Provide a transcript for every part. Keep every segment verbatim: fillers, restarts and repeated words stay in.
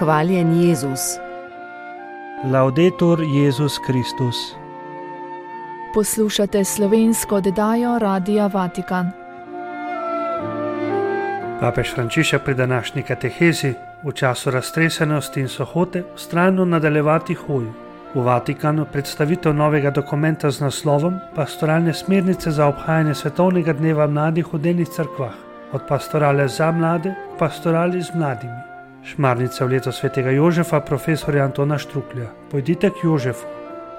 Hvaljen Jezus. Laudetur Jezus Kristus. Poslušate slovensko oddajo Radia Vatikan. Papež Frančišek pri današnji katehezi v času raztresenosti in sohote vztrajno nadaljevati hojo. V Vatikanu predstavitev novega dokumenta z naslovom Pastoralne smernice za obhajanje svetovnega dneva mladih v delnih cerkvah, od pastorale za mlade k pastorali z mladimi. Šmarnica v leto svetega Jožefa, profesorja Antona Štruklja. Pojdite k Jožefu.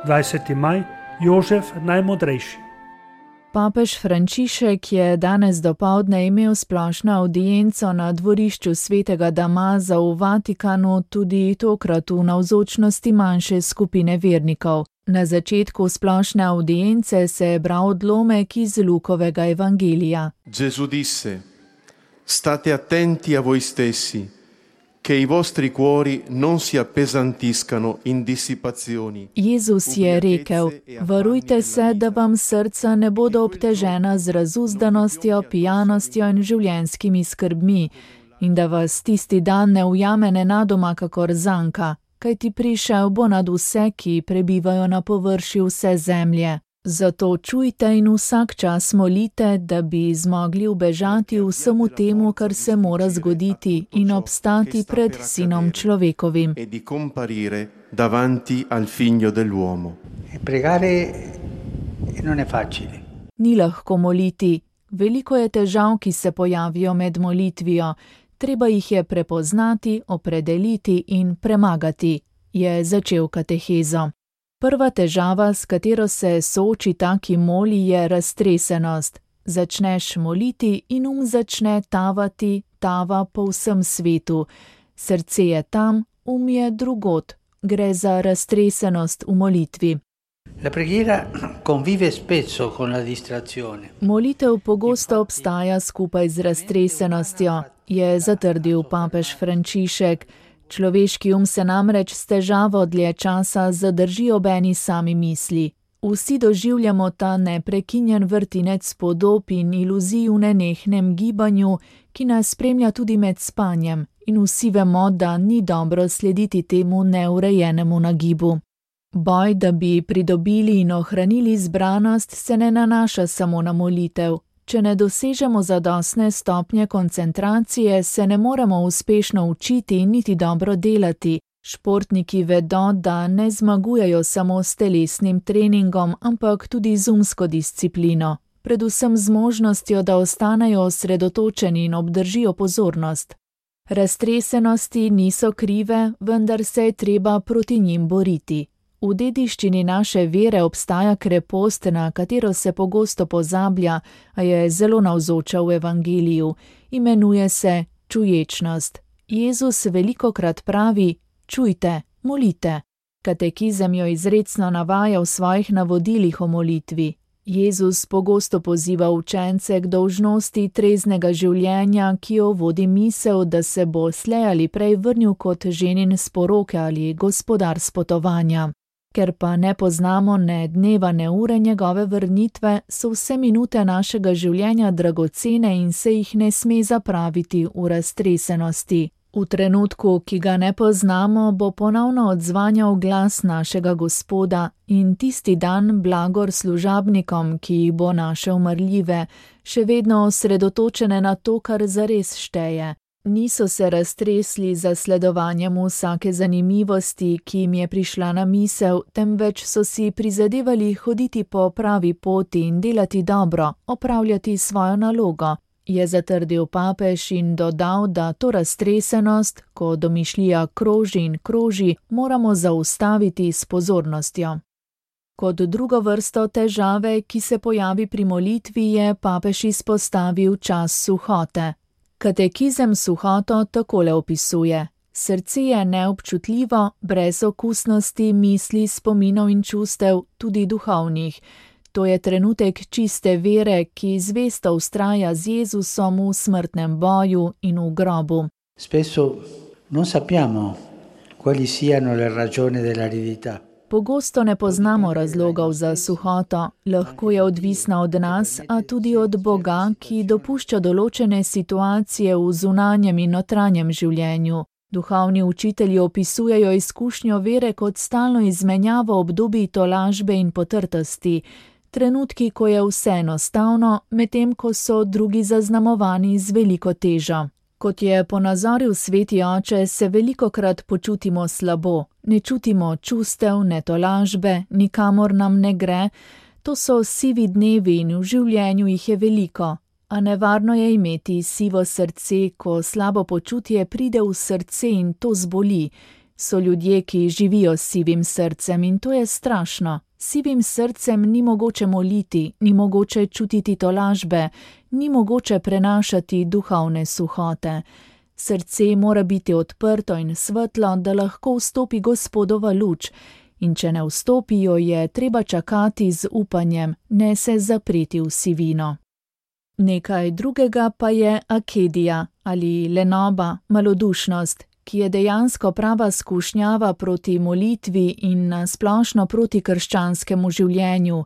dvajseti maj, Jožef najmodrejši. Papež Frančišek je danes dopoldne imel splošno avdienco na dvorišču svetega Damaza v Vatikanu, tudi tokrat v navzočnosti manjše skupine vernikov. Na začetku splošne avdience se je bral odlomek iz Lukovega evangelija. Gesù disse: State attenti a voi stessi, che i vostri cuori non si appesantiscano in dissipazioni. Jezus je rekel: varujte se, da vam srca ne bodo obtežena z razuzdanostjo, pijanostjo in življenjskimi skrbmi, in da vas tisti dan ne ujame nenadoma kakor zanka, kajti prišel bo nad vse, ki prebivajo na površju vse zemlje. Zato čujte in vsak čas molite, da bi zmogli ubežati vsemu temu, kar se mora zgoditi, in obstati pred Sinom človekovim. E di comparire davanti al figlio dell'uomo. Pregare non è facile. Ni lahko moliti. Veliko je težav, ki se pojavijo med molitvijo. Treba jih je prepoznati, opredeliti in premagati, je začel katehezo. Prva težava, s katero se sooči ta, ki moli, je raztresenost. Začneš moliti in um začne tavati, tava po vsem svetu. Srce je tam, um je drugod. Gre za raztresenost v molitvi. La preghiera convive spesso con la distrazione. Molitev pogosto obstaja skupaj z raztresenostjo, je zatrdil papež Frančišek. Človeški um se namreč s težavo dlje časa zadrži ob eni sami misli. Vsi doživljamo ta neprekinjen vrtinec podob in iluzij v nenehnem gibanju, ki nas spremlja tudi med spanjem, in vsi vemo, da ni dobro slediti temu neurejenemu nagibu. Boj, da bi pridobili in ohranili zbranost, se ne nanaša samo na molitev. Če ne dosežemo zadostne stopnje koncentracije, se ne moremo uspešno učiti in niti dobro delati. Športniki vedo, da ne zmagujejo samo s telesnim treningom, ampak tudi z umsko disciplino, predvsem z možnostjo, da ostanejo osredotočeni in obdržijo pozornost. Raztresenosti niso krive, vendar se je treba proti njim boriti. V dediščini naše vere obstaja krepost, na katero se pogosto pozablja, a je zelo navzoča v evangeliju. Imenuje se čuječnost. Jezus velikokrat pravi: čujte, molite. Katekizem jo izrecno navaja v svojih navodilih o molitvi. Jezus pogosto poziva učence k dolžnosti treznega življenja, ki jo vodi misel, da se bo slej ali prej vrnil kot ženin s poroke ali gospodar s potovanja. Ker pa ne poznamo ne dneva ne ure njegove vrnitve, so vse minute našega življenja dragocene in se jih ne sme zapraviti v raztresenosti. V trenutku, ki ga ne poznamo, bo ponovno odzvanjal glas našega Gospoda in tisti dan blagor služabnikom, ki jih bo našel marljive, še vedno osredotočene na to, kar zares šteje. Niso se raztresli za sledovanjem vsake zanimivosti, ki jim je prišla na misel, temveč so si prizadevali hoditi po pravi poti in delati dobro, opravljati svojo nalogo, je zatrdil papež in dodal, da to raztresenost, ko domišljija kroži in kroži, moramo zaustaviti s pozornostjo. Kot drugo vrsto težave, ki se pojavi pri molitvi, je papež izpostavil čas suhote. Katekizem suhoto takole opisuje: srce je neobčutljivo, brez okusnosti, misli, spominov in čustev, tudi duhovnih. To je trenutek čiste vere, ki zvesto vztraja z Jezusom v smrtnem boju in v grobu. Spesso non sappiamo quali siano le ragioni dell'aridità. Pogosto ne poznamo razlogov za suhoto, lahko je odvisna od nas, a tudi od Boga, ki dopušča določene situacije v zunanjem in notranjem življenju. Duhovni učitelji opisujejo izkušnjo vere kot stalno izmenjavo obdobij tolažbe in potrtosti, trenutki, ko je vse enostavno, medtem ko so drugi zaznamovani z veliko težo. Kot je ponazoril sveti oče, se velikokrat počutimo slabo, ne čutimo čustev, ne tolažbe, nikamor nam ne gre. To so sivi dnevi in v življenju jih je veliko, a nevarno je imeti sivo srce, ko slabo počutje pride v srce in to zboli. So ljudje, ki živijo s sivim srcem in to je strašno. Sivim srcem ni mogoče moliti, ni mogoče čutiti tolažbe, ni mogoče prenašati duhovne suhote. Srce mora biti odprto in svetlo, da lahko vstopi Gospodova luč, in če ne vstopijo, je treba čakati z upanjem, ne se zapreti v sivino. Nekaj drugega pa je akedija ali lenoba, malodušnost, ki je dejansko prava skušnjava proti molitvi in splošno proti krščanskemu življenju,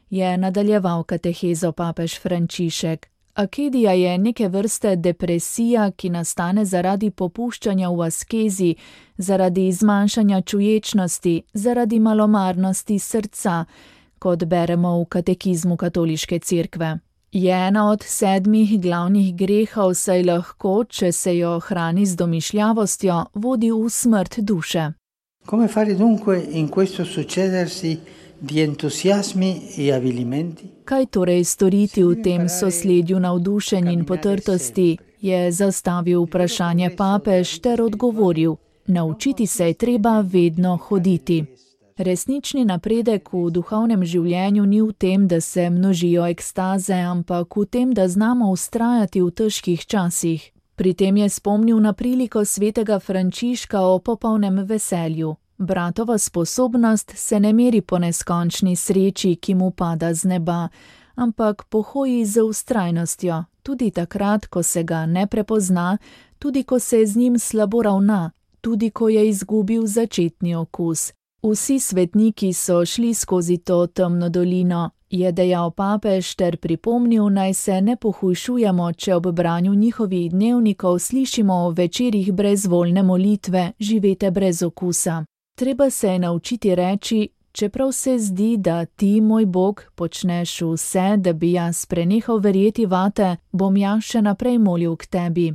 je nadaljeval katehezo papež Frančišek. Akedija je neke vrste depresija, ki nastane zaradi popuščanja v askezi, zaradi zmanjšanja čuječnosti, zaradi malomarnosti srca, kot beremo v katekizmu katoliške cerkve. Je ena od sedmih glavnih grehov, saj lahko, če se jo hrani z domišljavostjo, vodi v smrt duše. Come fare dunque in questo succedersi di entusiasmi e avvilimenti? Kaj torej storiti v tem sosledju navdušenj in potrtosti, je zastavil vprašanje papež ter odgovoril: naučiti se je treba vedno hoditi. Resnični napredek v duhovnem življenju ni v tem, da se množijo ekstaze, ampak v tem, da znamo vztrajati v težkih časih. Pri tem je spomnil na priliko svetega Frančiška o popolnem veselju. Bratova sposobnost se ne meri po neskončni sreči, ki mu pada z neba, ampak po hoji z vztrajnostjo, tudi takrat, ko se ga ne prepozna, tudi ko se z njim slabo ravna, tudi ko je izgubil začetni okus. Vsi svetniki so šli skozi to temno dolino, je dejal papež ter pripomnil, naj se ne pohujšujemo, če ob branju njihovih dnevnikov slišimo o večerih brezvoljne molitve, živete brez okusa. Treba se je naučiti reči: čeprav se zdi, da ti, moj Bog, počneš vse, da bi jaz prenehal verjeti vate, bom jaz še naprej molil k tebi.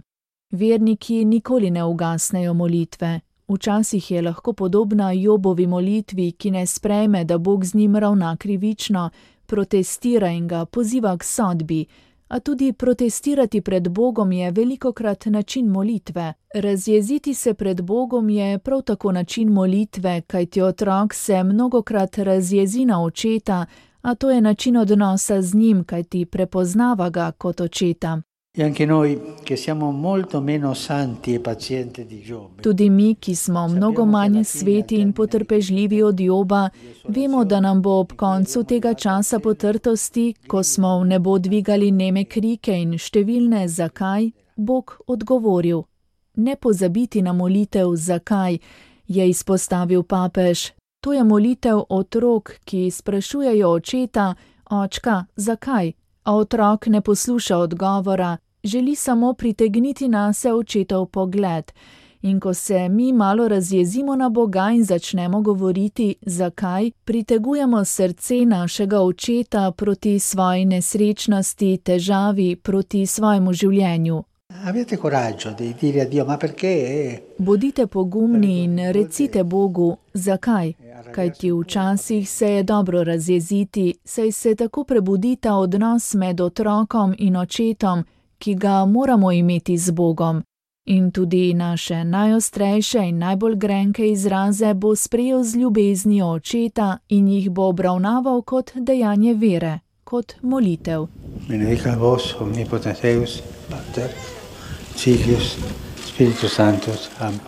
Verniki nikoli ne ugasnejo molitve. Včasih je lahko podobna Jobovi molitvi, ki ne sprejme, da Bog z njim ravna krivično, protestira in ga poziva k sodbi, a tudi protestirati pred Bogom je velikokrat način molitve. Razjeziti se pred Bogom je prav tako način molitve, kajti otrok se mnogokrat razjezi na očeta, a to je način odnosa z njim, kajti prepoznava ga kot očeta. E anche noi, che siamo molto meno santi e pazienti di Giobbe. Tudi mi, ki smo mnogo manj sveti in potrpežljivi od Joba, vemo, da nam bo ob koncu tega časa potrtosti, ko smo v nebo dvigali neme krike in številne zakaj, Bog odgovoril. Ne pozabiti na molitev zakaj, je izpostavil papež. To je molitev otrok, ki sprašujejo očeta: očka, zakaj? A otrok ne posluša odgovora, želi samo pritegniti nase očetov pogled. In ko se mi malo razjezimo na Boga in začnemo govoriti zakaj, pritegujemo srce našega očeta proti svoji nesrečnosti, težavi, proti svojemu življenju. Avete coraggio di dire a Dio, ma perché? Bodite pogumni in recite Bogu, zakaj? Kajti včasih se je dobro razjeziti, saj se tako prebudi ta odnos med otrokom in očetom, ki ga moramo imeti z Bogom. In tudi naše najostrejše in najbolj grenke izraze bo sprejel z ljubeznijo očeta in jih bo obravnaval kot dejanje vere, kot molitev. Benedicat vos omnipotens Deus, Pater, Filius, Spiritus Sanctus. Amen.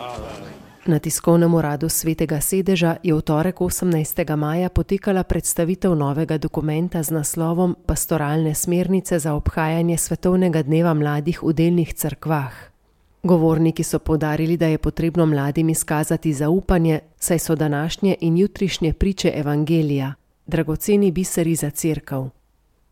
Na tiskovnem uradu Svetega sedeža je v torek osemnajstega maja potekala predstavitev novega dokumenta z naslovom Pastoralne smernice za obhajanje svetovnega dneva mladih v delnih cerkvah. Govorniki so poudarili, da je potrebno mladim izkazati zaupanje, saj so današnje in jutrišnje priče evangelija, dragoceni biseri za cerkev.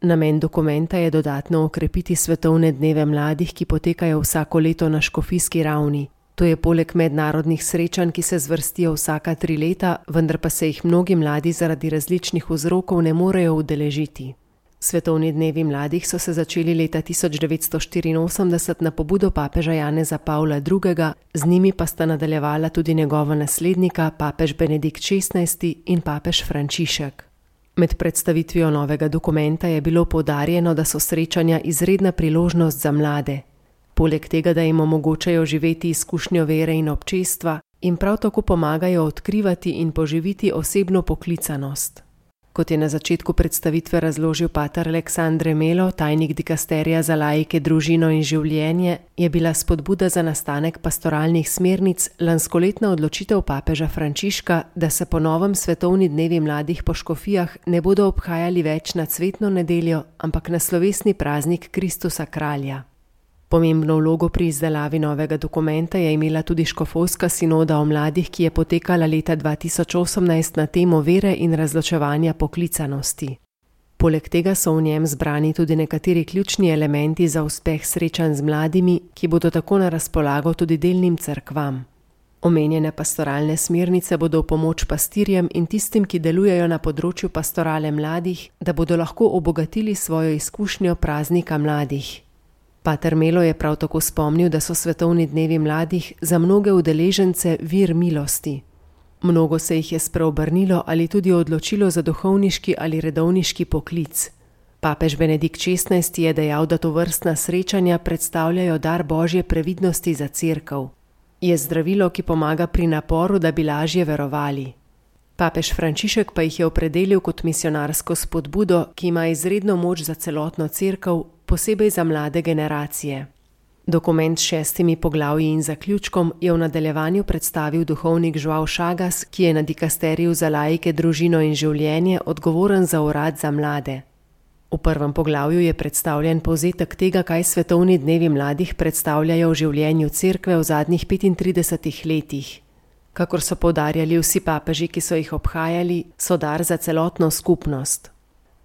Namen dokumenta je dodatno okrepiti svetovne dneve mladih, ki potekajo vsako leto na škofijski ravni. To je poleg mednarodnih srečanj, ki se zvrstijo vsaka tri leta, vendar pa se jih mnogi mladi zaradi različnih vzrokov ne morejo udeležiti. Svetovni dnevi mladih so se začeli leta tisoč devetsto štiriinosemdeset na pobudo papeža Janeza Pavla drugega, z njimi pa sta nadaljevala tudi njegova naslednika, papež Benedikt šestnajsti in papež Frančišek. Med predstavitvijo novega dokumenta je bilo poudarjeno, da so srečanja izredna priložnost za mlade. Poleg tega, da jim omogočajo živeti izkušnjo vere in občestva, jim prav tako pomagajo odkrivati in poživiti osebno poklicanost. Kot je na začetku predstavitve razložil pater Aleksandre Melo, tajnik dikasterija za laike, družino in življenje, je bila spodbuda za nastanek pastoralnih smernic lanskoletna odločitev papeža Frančiška, da se po novem svetovni dnevi mladih po škofijah ne bodo obhajali več na cvetno nedeljo, ampak na slovesni praznik Kristusa Kralja. Pomembno vlogo pri izdelavi novega dokumenta je imela tudi škofovska sinoda o mladih, ki je potekala leta dva tisoč osemnajst na temo vere in razločevanja poklicanosti. Poleg tega so v njem zbrani tudi nekateri ključni elementi za uspeh srečanj z mladimi, ki bodo tako na razpolago tudi delnim cerkvam. Omenjene pastoralne smernice bodo v pomoč pastirjem in tistim, ki delujejo na področju pastorale mladih, da bodo lahko obogatili svojo izkušnjo praznika mladih. Pater Melo je prav tako spomnil, da so svetovni dnevi mladih za mnoge udeležence vir milosti. Mnogo se jih je spreobrnilo ali tudi odločilo za duhovniški ali redovniški poklic. Papež Benedikt šestnajsti je dejal, da tovrstna srečanja predstavljajo dar Božje previdnosti za cerkev. Je zdravilo, ki pomaga pri naporu, da bi lažje verovali. Papež Frančišek pa jih je opredelil kot misionarsko spodbudo, ki ima izredno moč za celotno cerkev, posebej za mlade generacije. Dokument s šestimi poglavji in zaključkom je v nadaljevanju predstavil duhovnik Joao Chagas, ki je na dikasteriju za laike, družino in življenje odgovoren za urad za mlade. V prvem poglavju je predstavljen povzetek tega, kaj svetovni dnevi mladih predstavljajo v življenju cerkve v zadnjih petintridesetih letih. Kakor so poudarjali vsi papeži, ki so jih obhajali, so dar za celotno skupnost.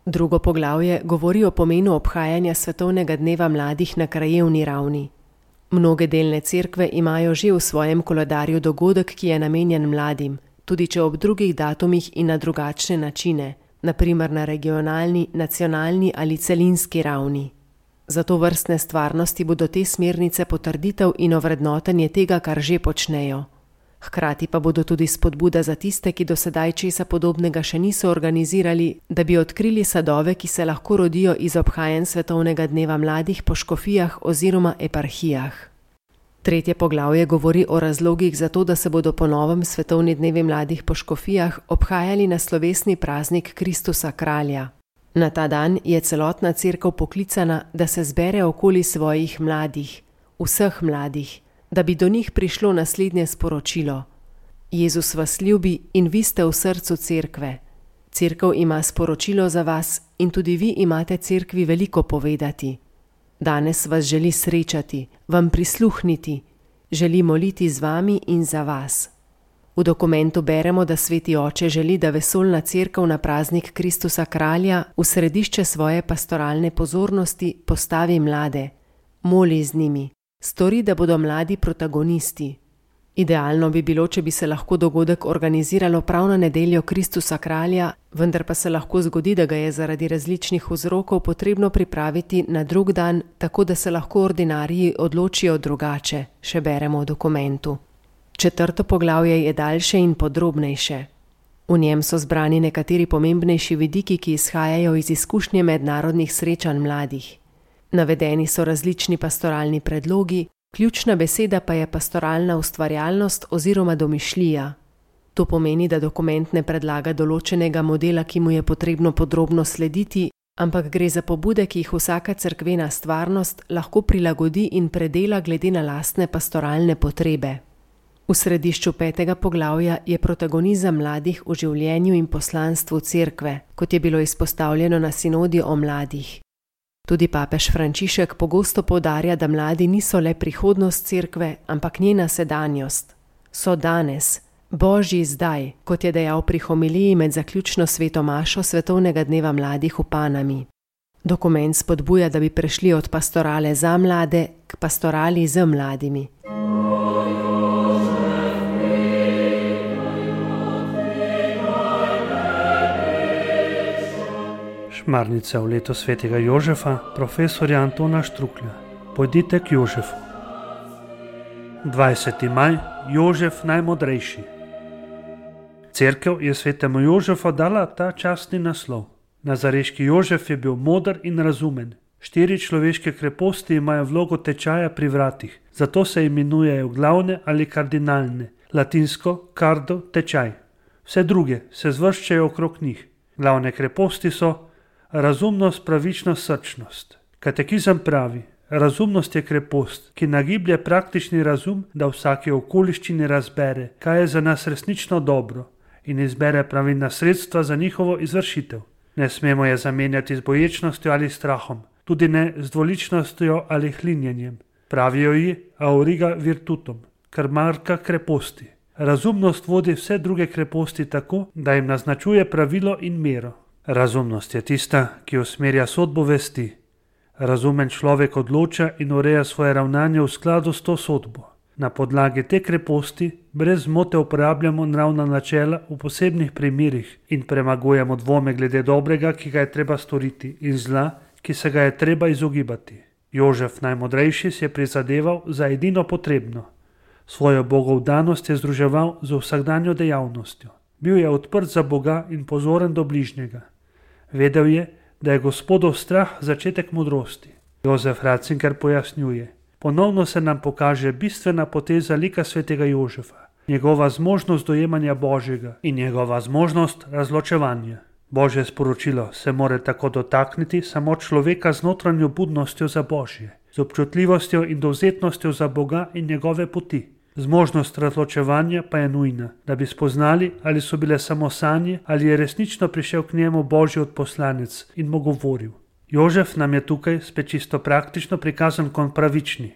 Drugo poglavje govori o pomenu obhajanja svetovnega dneva mladih na krajevni ravni. Mnoge delne cerkve imajo že v svojem koledarju dogodek, ki je namenjen mladim, tudi če ob drugih datumih in na drugačne načine, na primer na regionalni, nacionalni ali celinski ravni. Zato vrstne stvarnosti bodo te smernice potrditev in ovrednotenje tega, kar že počnejo. Hkrati pa bodo tudi spodbuda za tiste, ki do sedaj česa podobnega še niso organizirali, da bi odkrili sadove, ki se lahko rodijo iz obhajanj svetovnega dneva mladih po škofijah oziroma eparhijah. Tretje poglavje govori o razlogih za to, da se bodo po novem svetovni dnevi mladih po škofijah obhajali na slovesni praznik Kristusa Kralja. Na ta dan je celotna cerkev poklicana, da se zbere okoli svojih mladih, vseh mladih, da bi do njih prišlo naslednje sporočilo. Jezus vas ljubi in vi ste v srcu cerkve. Cerkev ima sporočilo za vas in tudi vi imate cerkvi veliko povedati. Danes vas želi srečati, vam prisluhniti, želi moliti z vami in za vas. V dokumentu beremo, da Sveti Oče želi, da vesoljna cerkev na praznik Kristusa Kralja v središče svoje pastoralne pozornosti postavi mlade, moli z njimi. Stori, da bodo mladi protagonisti. Idealno bi bilo, če bi se lahko dogodek organiziralo prav na nedeljo Kristusa Kralja, vendar pa se lahko zgodi, da ga je zaradi različnih vzrokov potrebno pripraviti na drug dan, tako da se lahko ordinariji odločijo drugače, še beremo v dokumentu. Četrto poglavje je daljše in podrobnejše. V njem so zbrani nekateri pomembnejši vidiki, ki izhajajo iz izkušnje mednarodnih srečanj mladih. Navedeni so različni pastoralni predlogi, ključna beseda pa je pastoralna ustvarjalnost oziroma domišljija. To pomeni, da dokument ne predlaga določenega modela, ki mu je potrebno podrobno slediti, ampak gre za pobude, ki jih vsaka cerkvena stvarnost lahko prilagodi in predela glede na lastne pastoralne potrebe. V središču petega poglavja je protagonizem mladih v življenju in poslanstvu cerkve, kot je bilo izpostavljeno na sinodi o mladih. Tudi papež Frančišek pogosto poudarja, da mladi niso le prihodnost cerkve, ampak njena sedanjost. So danes, Božji zdaj, kot je dejal pri homiliji med zaključno sveto mašo svetovnega dneva mladih v Panami. Dokument spodbuja, da bi prešli od pastorale za mlade k pastorali z mladimi. Šmarnica v letu svetega Jožefa, profesorja Antona Štruklja. Pojdite k Jožefu. dvajseti maj, Jožef najmodrejši. Cerkev je svetemu Jožefu dala ta častni naslov. Nazareški Jožef je bil moder in razumen. Štiri človeške kreposti imajo vlogo tečaja pri vratih, zato se imenujejo glavne ali kardinalne, latinsko cardo tečaj. Vse druge se zvrščajo okrog njih. Glavne kreposti so razumnost, pravičnost, srčnost. Katekizem pravi, razumnost je krepost, ki nagiblje praktični razum, da v vsaki okoliščini razbere, kaj je za nas resnično dobro in izbere pravilna sredstva za njihovo izvršitev. Ne smemo je zamenjati z boječnostjo ali strahom, tudi ne z dvoličnostjo ali hlinjenjem. Pravijo ji auriga virtutum, krmarka kreposti. Razumnost vodi vse druge kreposti tako, da jim naznačuje pravilo in mero. Razumnost je tista, ki usmerja sodbo vesti. Razumen človek odloča in ureja svoje ravnanje v skladu s to sodbo. Na podlagi te kreposti brez zmote uporabljamo nravna načela v posebnih primerih in premagujemo dvome glede dobrega, ki ga je treba storiti, in zla, ki se ga je treba izogibati. Jožef najmodrejši si je prizadeval za edino potrebno. Svojo bogovdanost je združeval z vsakdanjo dejavnostjo. Bil je odprt za Boga in pozoren do bližnjega. Vedel je, da je Gospodov strah začetek modrosti. Jozef Ratzinger pojasnjuje: ponovno se nam pokaže bistvena poteza lika svetega Jožefa, njegova zmožnost dojemanja Božjega in njegova zmožnost razločevanja. Božje sporočilo se more tako dotakniti samo človeka z notranjo budnostjo za Božje, z občutljivostjo in dovzetnostjo za Boga in njegove poti. Zmožnost razločevanja pa je nujna, da bi spoznali, ali so bile samo sanje, ali je resnično prišel k njemu Božji odposlanec in mu govoril. Jožef nam je tukaj spet čisto praktično prikazan kot pravični.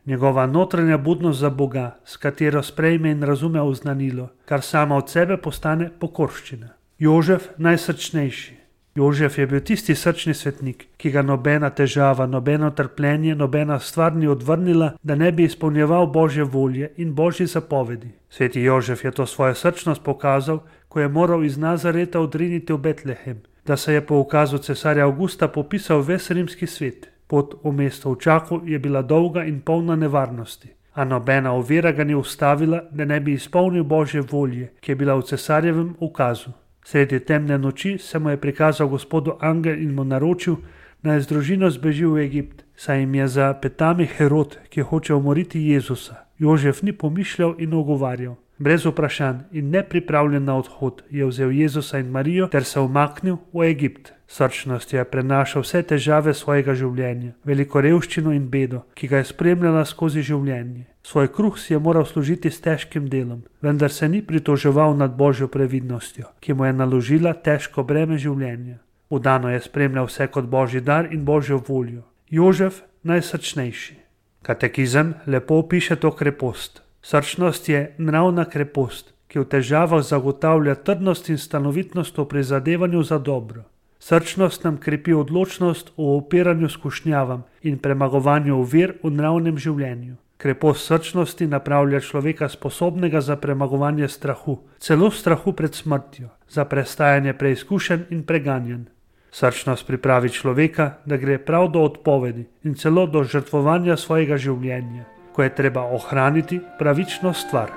Njegova notranja budnost za Boga, s katero sprejme in razume oznanilo, kar sama od sebe postane pokorščina. Jožef najsrčnejši. Jožef je bil tisti srčni svetnik, ki ga nobena težava, nobeno trpljenje, nobena stvar ni odvrnila, da ne bi izpolnjeval Božje volje in Božji zapovedi. Sveti Jožef je to svojo srčnost pokazal, ko je moral iz Nazareta odriniti v Betlehem, da se je po ukazu cesarja Avgusta popisal ves rimski svet. Pot v mesto v čaku je bila dolga in polna nevarnosti, a nobena ovira ga ni ustavila, da ne bi izpolnil Božje volje, ki je bila v cesarjevem ukazu. Sredi temne noči se mu je prikazal Gospodu angel in mu naročil, naj z družino zbeži v Egipt, saj jim je za petami Herod, ki hoče umoriti Jezusa. Jožef ni pomišljal in ogovarjal. Brez vprašanj in nepripravljen na odhod je vzel Jezusa in Marijo ter se umaknil v Egipt. Srčnost je prenašal vse težave svojega življenja, veliko revščino in bedo, ki ga je spremljala skozi življenje. Svoj kruh si je moral služiti s težkim delom, vendar se ni pritoževal nad Božjo previdnostjo, ki mu je naložila težko breme življenja. Vdano je spremljal vse kot Božji dar in Božjo voljo. Jožef najsrčnejši. Katekizem lepo opiše to krepost. Srčnost je nravna krepost, ki v težavah zagotavlja trdnost in stanovitnost v prizadevanju za dobro. Srčnost nam krepi odločnost v upiranju skušnjavam in premagovanju ovir v nravnem življenju. Krepost srčnosti napravlja človeka sposobnega za premagovanje strahu, celo strahu pred smrtjo, za prestajanje preizkušenj in preganjanj. Srčnost pripravi človeka, da gre prav do odpovedi in celo do žrtvovanja svojega življenja, ko je treba ohraniti pravično stvar.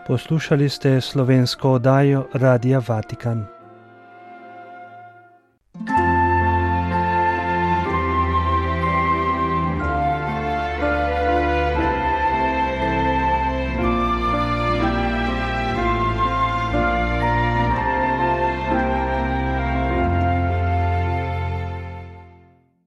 Poslušali ste slovensko oddajo Radia Vatikan.